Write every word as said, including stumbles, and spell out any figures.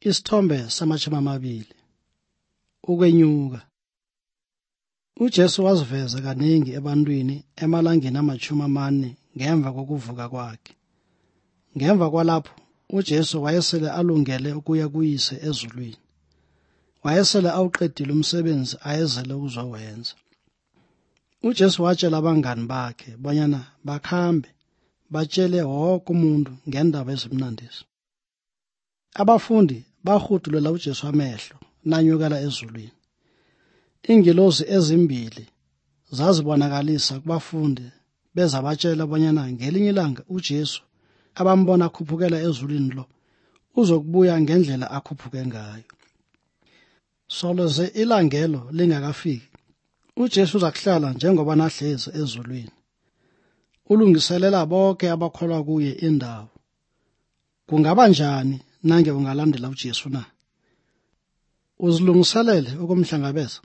Isithombe samashumi amabili. Ukwenyuka. uJesu waziveza kaningi ebantwini emalangeni amashumi amane ngemva kokuvuka kwakhe. Ngemva kwalapho uJesu wayesele alungele ukuya kuyise ezulwini. Wayesele awuqedile umsebenzi ayezele ukuzowenza. uJesu watshela abangani bakhe bonyana bakhambe batshele wonke umuntu ngendaba ezimnandisi. Abafundi bahudulela uJesu amehlo nanyukela ezulwini. Ingilosi ezimbili zazibonakalisa kubafundi bezabatshela bonyana ngelinye ilanga uJesu abambona akhuphukela ezulwini lo uzokubuya ngendlela akhuphuke ngayo. Soloze ilangelo lingakafiki, uJesu uzakuhlala njengoba nahlezi ezulwini. Ulungiselela bonke abakholwa kuye indawo. Kungaba njani nange ungalandela uJesu na? Uzilungiselele ukumhlangabeza?